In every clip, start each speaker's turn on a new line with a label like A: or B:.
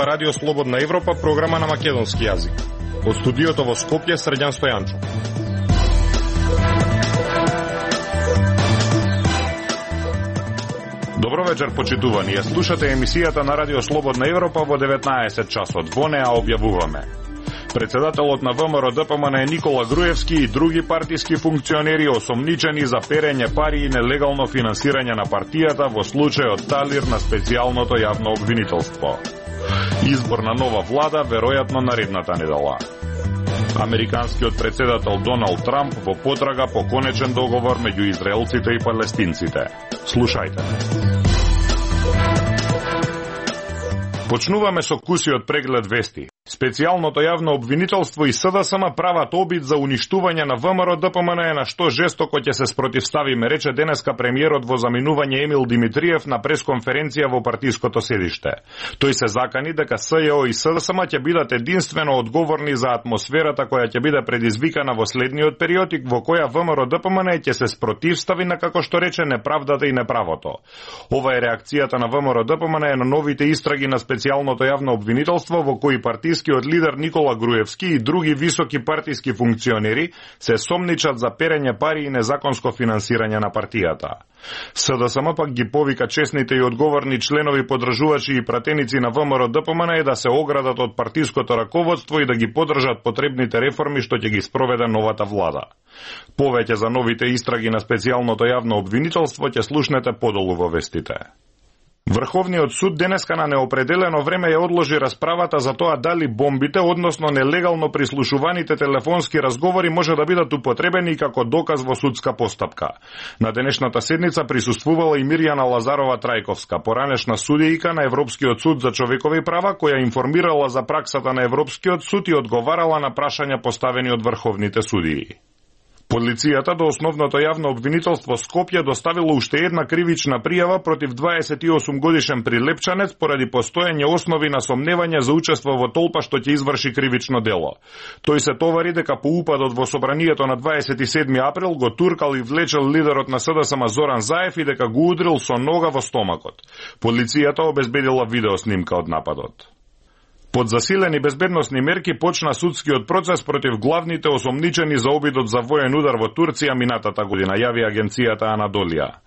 A: Радио Слободна Европа, програма на македонски јазик. Од студиото во Скопје, Срđan Стојанчов. Добро вечер, почитувани. Ја слушате емисијата на Радио Слободна Европа во 19 часот. Во неа објавуваме: председателот на ВМРО ДПМН Никола Груевски и други партиски функционери осомничени за перење пари и нелегално финансирање на партијата во случајот Талир на специјалното јавно обвинителство. Избор на нова влада веројатно наредната недела. Американскиот председател Доналд Трамп во потрага по конечен договор меѓу израелците и палестинците. Слушајте. Почнуваме со кусиот преглед вести. Специјалното јавно обвинителство и СДСМ прават обид за уништување на ВМРО ДПМН, на што жестоко ќе се спротивставиме, рече денеска премиерот во заминување Емил Димитриев на пресконференција во партиското седиште. Тој се закани дека СЈО и СДСМ ќе бидат единствено одговорни за атмосферата која ќе биде предизвикана во следниот период и во која ВМРО ДПМН ќе се спротивстави на, како што рече, неправдата и неправото. Ова е реакцијата на ВМРО ДПМН на новите истраги на специјалното јавно обвинителство во кои партискиот лидер Никола Груевски и други високи партиски функционери се сомничат за перење пари и незаконско финансирање на партијата. СДСМ пак ги повика честните и одговорни членови, подржувачи и пратеници на ВМРО ДПМН да се оградат од партиското раководство и да ги поддржат потребните реформи што ќе ги спроведе новата влада. Повеќе за новите истраги на специјалното јавно обвинителство ќе слушнете подолу во вестите. Врховниот суд денеска на неопределено време ја одложи расправата за тоа дали бомбите, односно нелегално прислушуваните телефонски разговори, може да бидат употребени како доказ во судска постапка. На денешната седница присуствувала и Мирјана Лазарова Трајковска, поранешна судијка на Европскиот суд за човекови права, која информирала за праксата на Европскиот суд и одговарала на прашања поставени од врховните судии. Полицијата до основното јавно обвинителство Скопје доставила уште една кривична пријава против 28 годишен прилепчанец поради постоење основи на сомневање за учество во толпа што ќе изврши кривично дело. Тој се товари дека по упадот во собранието на 27 април го туркал и влечел лидерот на СДСМ Зоран Заев и дека го удрил со нога во стомакот. Полицијата обезбедила видеоснимка од нападот. Под засилени безбедносни мерки почна судскиот процес против главните осомничени за обидот за воен удар во Турција минатата година, јави агенцијата Анадолија.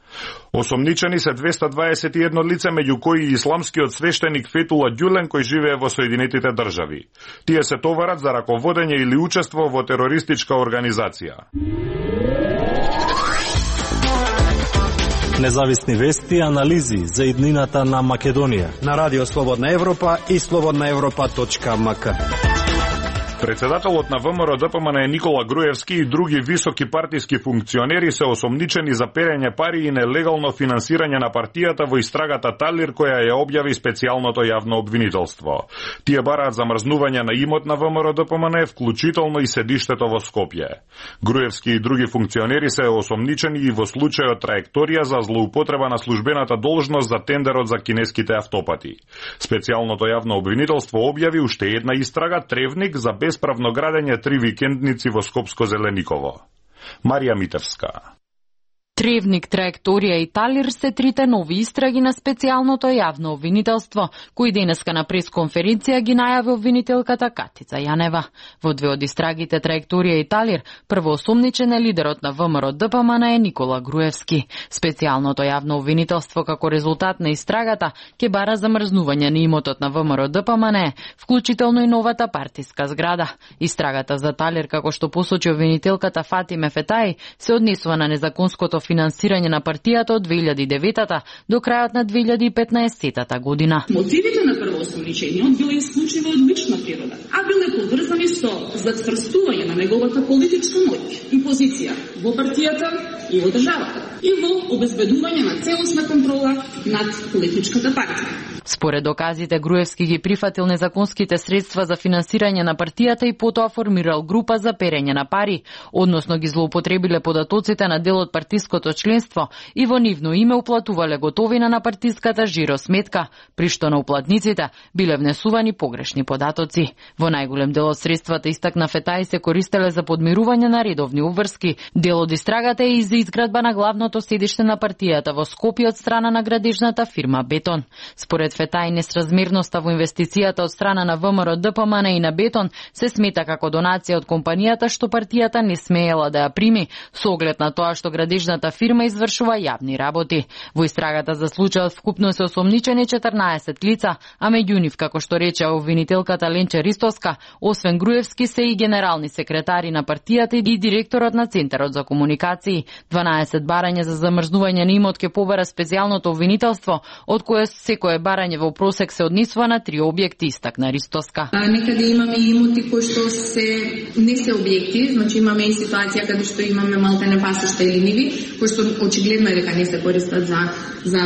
A: Осомничени се 221 лице, меѓу кои и исламскиот свештеник Фетула Ѓулен, кој живее во Соединетите држави. Тие се товарат за раководење или учество во терористичка организација.
B: Независни вести и анализи за иднината на Македонија
C: на Радио Слободна Европа и slobodnaevropa.mk.
A: Председателот на ВМРО ДПМН Никола Груевски и други високи партиски функционери се осомничени за перење пари и нелегално финансирање на партијата во истрагата Талир, која ја објави специјалното јавно обвинителство. Тие бараат замрзнување на имот на ВМРО ДПМН, вклучително и седиштето во Скопје. Груевски и други функционери се осомничени и во случајот Траекторија за злоупотреба на службената должност за тендерот за кинеските автопати. Специјалното јавно обвинителство објави уште една истрага Тревник за бесправно градење 3 викендници во Скопско-Зелениково. Марија Митевска.
D: Тревник, Траекторија и Талир се трите нови истраги на специјалното јавно обвинителство, кои денеска на пресконференција ги најави обвинителката Катица Јанева. Во две од истрагите Траекторија и Талир, прво осомничен е лидерот на ВМРО ДПМН е Никола Груевски. Специјалното јавно обвинителство како резултат на истрагата ќе бара замрзнување на имотот на ВМРО ДПМН, вклучително и новата партиска зграда. Истрагата за Талир, како што посочи обвинителката Фатиме Фетај, се однесува на незаконското финансирање на партијата од 2009 до крајот на 2015 година.
E: Мотивите на првоосомничениот биле исклучиво од лична природа, а биле поврзани со зацврстување на неговата политичка моќ и позиција во партијата и во државата и во обезбедување на целосна контрола над политичката партија.
D: Според доказите, Груевски ги прифатил незаконските средства за финансирање на партијата и потоа формирал група за перење на пари, односно ги злоупотребиле податоците на дел од партиското членство и во нивно име уплатувале готовина на партиската жиросметка, при што на уплатниците биле внесувани погрешни податоци. Во најголем дел од средствата, истакна Фетај, се користеле за подмирување на редовни меѓународни обврски. Дел од истрагата е и за изградба на главното седиште на партијата во Скопје од страна на градежната фирма Бетон. Според Фетај, несразмерноста во инвестицијата од страна на ВМРО ДПМН и на Бетон се смета како донација од компанијата што партијата не смеела да ја прими, со оглед на тоа што градежната фирма извршува јавни работи. Во истрагата за случајот вкупно се осомничени 14 лица, а меѓу нив, како што рече обвинителката Ленче Ристовска, освен Груевски се и генерални секретари на партијата и директорот на Центарот за комуникации. 12 барања за замрзнување на имот ќе побара специјалното обвинителство, од кое секое барање во просек се однесува на 3 објекти, истакна Ристовска.
F: Некаде имаме имоти кои што не се објекти, значи имаме и ситуација каде што имаме малтене пасишта или ниви, кои што очигледно е дека не се користат за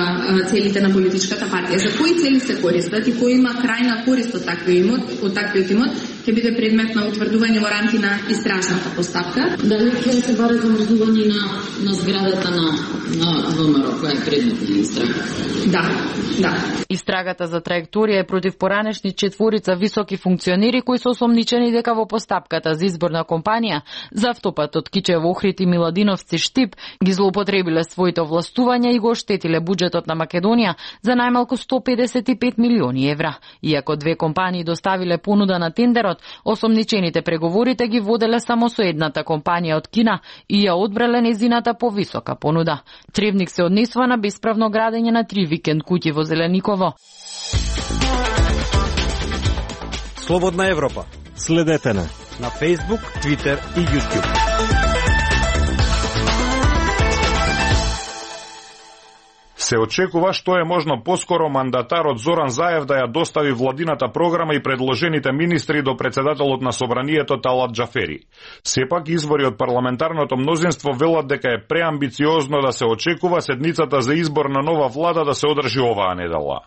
F: целите на политичката партија. За кои цели се користат и кој има крајна корист од таквиот имот, ќе биде предмет на утврдување во рамки на истражната постапка.
E: Дали ќе се бара замрзнување на зградата на ВМРО, која е предмет на истрага?
F: Да.
D: Истрагата за траекторија е против поранешни 4 високи функционери кои се осомничени дека во постапката за избор на компанија за автопатот Кичево Охрид и Миладиновци Штип ги злоупотребиле своите овластувања и го оштетиле буџетот на Македонија за најмалку 155 милиони евра. Иако 2 компании доставиле понуда на тендерот, осомничените преговорите ги воделе само со едната компанија од Кина и ја одбрале незината повисока понуда. Тревник се однесува на бесправно градење на 3 викенд куќи во Зелениково.
C: Слободна Европа.
B: Следете на
C: Facebook, Twitter и YouTube.
A: Се очекува што е можно поскоро мандатарот Зоран Заев да ја достави владината програма и предложените министри до председателот на собранието Талат Џафери. Сепак извори од парламентарното мнозинство велат дека е преамбициозно да се очекува седницата за избор на нова влада да се одржи оваа недела.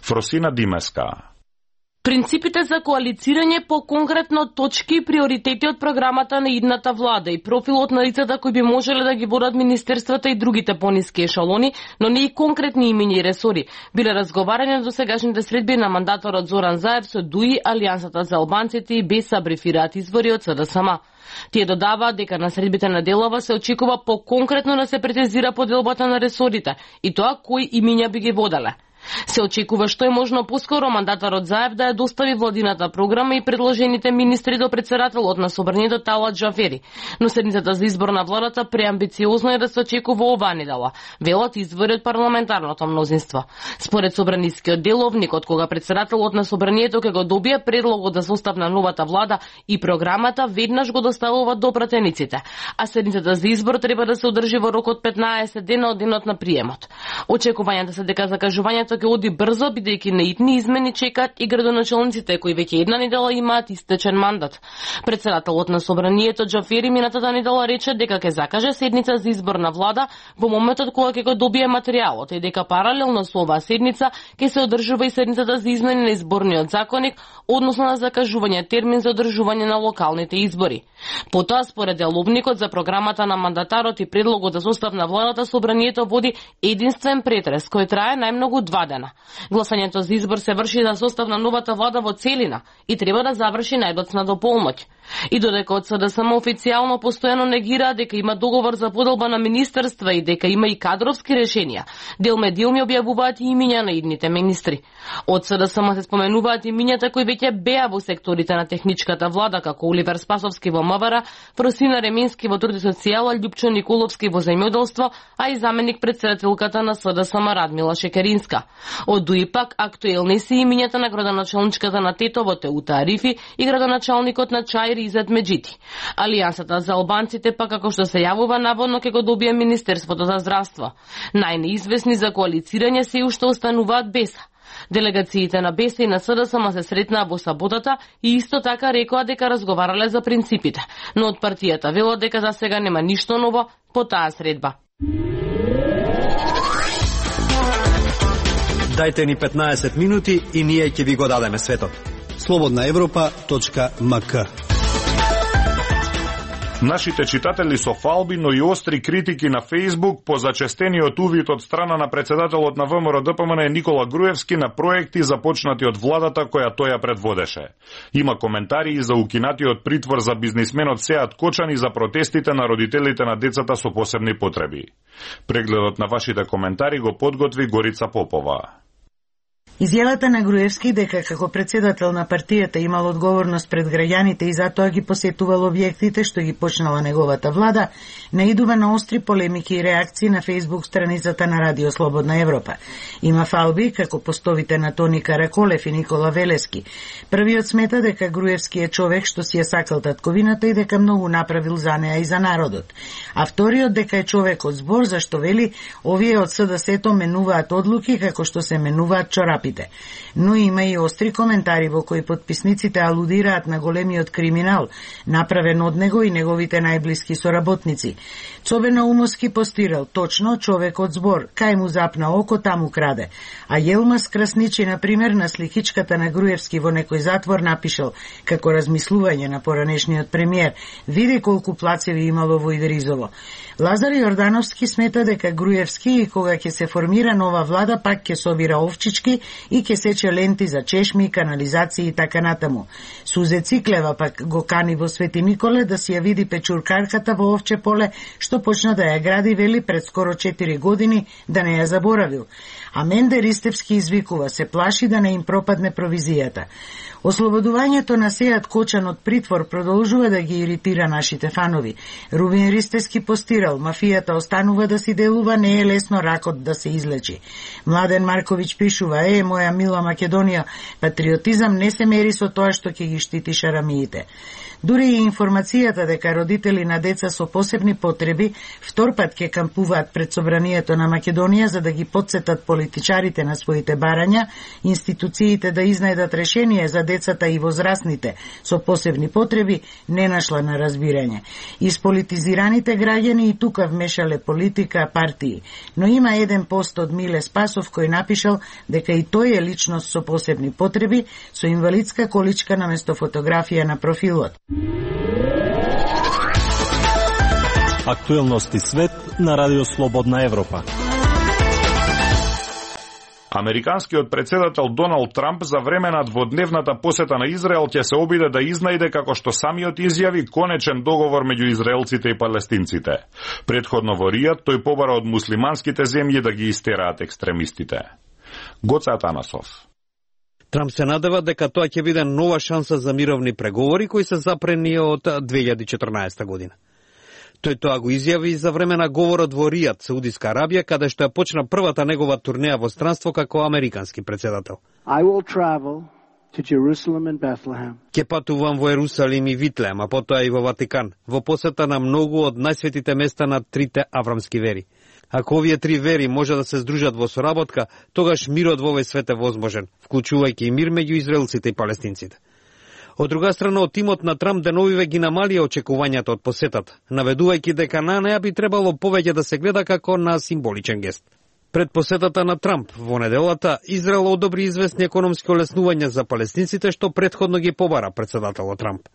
A: Фросина Димеска.
G: Принципите за коалицирање по конкретно точки и приоритети од програмата на идната влада и профилот на лицата кои би можеле да ги водат министерствата и другите пониски ешалони, но не и конкретни имиња и ресори, биле разговарани до сегашните средби на мандаторот Зоран Заев со ДУИ, Алијансата за албанците и БЕСА, брифираат извори од СДСМ. Тие додаваат дека на средбите на делова се очекува по-конкретно да се претезира поделбата на ресорите и тоа кои имиња би ги воделе. Се очекува што е можно поскоро мандатарот Заев да ја достави владината програма и предложените министри до председателот на собранието Талат Џафери, но седницата за избор на владата преамбициозно е да се очекува оваа недела, велат извори од парламентарното мнозинство. Според собранискиот деловник, од кога председателот на собранието ќе го добие предлогот за состав на новата влада и програмата, веднаш го доставуваат до пратениците, а седницата за избор треба да се одржи во рок од 15 дена од денот на приемот. Очекувањата се дека закажувањето ќе оди брзо, бидејќи наидни измени чекаат и градоначалниците кои веќе една недела имаат истечен мандат. Председателот на собранието Џафери минатата недела рече дека ќе закаже седница за избор на влада во моментот кога ќе го добие материјалот и дека паралелно со оваа седница ќе се одржува и седницата за измени на изборниот законник, односно на закажување термин за одржување на локалните избори. Потоа, според деловникот за програмата на мандатарот и предлогот за состав на владата, собранието води единствен претрес кој трае најмногу 2 дена. Гласањето за избор се врши за состав на новата влада во целина и треба да заврши најдоцна до полноќ. И додека од СДСМ официјално постојано негира дека има договор за поделба на министерства и дека има и кадровски решенија, делме објавуваат и имиња на идните министри. Од СДСМ се споменуваат имињата кои веќе беа во секторите на техничката влада, како Оливер Спасовски во МВР, Фросина Ремински во труд и социјала, Љупчо Николовски во земјоделство, а и заменик председателката на СДСМ Радмила Шекеринска. Од ДУИ пак актуелни се имињата на градоначалничката на Тетово Теута Арифи и градоначалникот на Чаир Изет Меджити. Алијансата за албанците пак, како што се јавува, наводно ќе го добие Министерството за здравство. Најнеизвестни за коалицирање се уште остануваат БЕСА. Делегациите на БЕСА и на СДСМ се сретнаа во саботата и исто така рекоа дека разговарале за принципите, но од партијата велат дека за сега нема ништо ново по таа средба.
C: Дајте ни 15 минути и ние ќе ви го дадеме светот.
H: Слободна Европа.мк
A: Нашите читатели со фалби, но и остри критики на Facebook по зачестениот увид од страна на председателот на ВМРО ДПМН Никола Груевски на проекти започнати од владата која тој ја предводеше. Има коментари и за укинатиот притвор за бизнисменот Сеат Кочан и за протестите на родителите на децата со посебни потреби. Прегледот на вашите коментари го подготви Горица Попова.
H: Изјавата на Груевски дека како председател на партијата имал одговорност пред граѓаните и затоа ги посетувал објектите што ги почнала неговата влада, наидува на остри полемики и реакции на Facebook страницата на Радио Слободна Европа. Има фалби како постовите на Тони Караколев и Никола Велески. Првиот смета дека Груевски е човек што си ја сакал татковината и дека многу направил за неа и за народот. А вториот дека е човек од збор, зашто вели овие од СДС-то менуваат одлуки како што се менуваат чорапи. Но има и остри коментари во кои потписниците алудираат на големиот криминал, направен од него и неговите најблиски соработници. Цобе Наумовски постирал, точно, човек од збор, кај му запна око, таму краде. А Јелмас Красничи, например, на сликичката на Груевски во некој затвор напишал, како размислување на поранешниот премиер, види колку плацеви имало во Идризово. Лазар Јордановски смета дека Груевски и кога ќе се формира нова влада пак ќе собира овчички и ќе сече ленти за чешми, канализации и така натаму. Сузе Циклева пак го кани во Свети Николе да си ја види печуркарката во овче поле, што почна да ја гради, вели, пред скоро 4 години, да не ја заборавил. А Менде Ристевски извикува, се плаши да не им пропадне провизијата. Ослободувањето на Сеат Кочан од притвор продолжува да ги иритира нашите фанови. Рубин Ристевски постирал, мафијата останува да си делува, не е лесно ракот да се излечи. Младен Марковиќ пишува, моја мила Македонија, патриотизам не се мери со тоа што ќе ги штити шарамиите. Дури и информацијата дека родители на деца со посебни потреби втор пат ќе кампуваат пред собранието на Македонија за да ги потсетат политичарите на своите барања, институциите да изнајдат решение за децата и возрастните со посебни потреби, не нашла на разбирање. Исполитизираните граѓани и тука вмешале политика, партии. Но има еден пост од Миле Спасов кој напишал дека и тој е личност со посебни потреби, со инвалидска количка наместо фотографија на профилот.
B: Актуелности свет на Радио Слободна Европа.
A: Американскиот председател Доналд Трамп за време на дводневната посета на Израел ќе се обиде да изнајде, како што самиот изјави, конечен договор меѓу израелците и палестинците. Предходно во Ријад тој побара од муслиманските земји да ги истераат екстремистите. Гоце Атанасов.
C: Трамп се надева дека тоа ќе биде нова шанса за мировни преговори кои се запрени од 2014 година. Тој тоа го изјави и за време на говорот во Ријад, Саудиска Арабија, каде што ја почна првата негова турнеја во странство како американски председател. Ќе патувам во Ерусалим и Витлеем, а потоа и во Ватикан, во посета на многу од најсветите места на трите аврамски вери. Ако овие три вери може да се здружат во соработка, тогаш мирот во овој свет е возможен, вклучувајќи и мир меѓу израелците и палестинците. Од друга страна, од тимот на Трамп деновиве ги намалија очекувањата од посетата, наведувајќи дека на неа би требало повеќе да се гледа како на символичен гест. Пред посетата на Трамп во неделата, Израел одобри известни економски олеснувања за палестинците, што претходно ги побара председателот Трамп.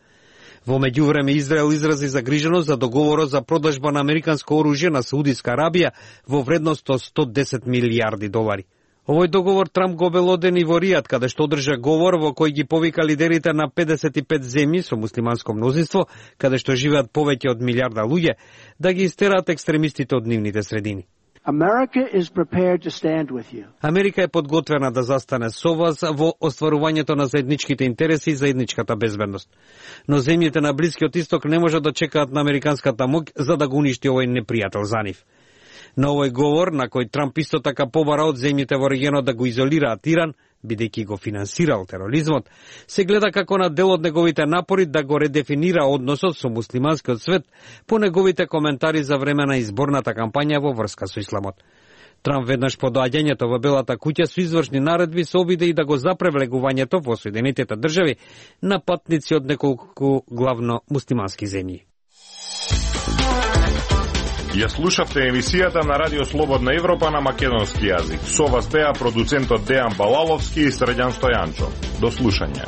C: Во меѓувреме Израел изрази загриженост за договорот за продажба на американско оружје на Саудиска Арабија во вредност од $110 милиарди. Овој договор Трамп го обелодени во Ријад, каде што одржа говор во кој ги повика лидерите на 55 земји со муслиманско мнозинство, каде што живеат повеќе од милиарда луѓе, да ги истераат екстремистите од нивните средини. Америка е подготвена да застане со вас во остварувањето на заедничките интереси и заедничката безбедност. Но земјите на Блискиот Исток не можат да чекаат на американската моќ за да го уништи овој непријател за нив. На овој говор, на кој Трамп исто така побара од земјите во регионот да го изолираат Иран, бидејќи го финансирал тероризмот, се гледа како на дел од неговите напори да го редефинира односот со муслиманскиот свет по неговите коментари за време на изборната кампања во врска со исламот. Трамп веднаш по доаѓањето во Белата куќа со извршни наредби се обиде и да го запре влегувањето во Соединетите држави на патници од неколку главно муслимански земји.
A: Ја слушавте емисијата на Радио Слободна Европа на македонски јазик. Со вас беа продуцентот Дејан Балаловски и Средјан Стојанчо. До слушање.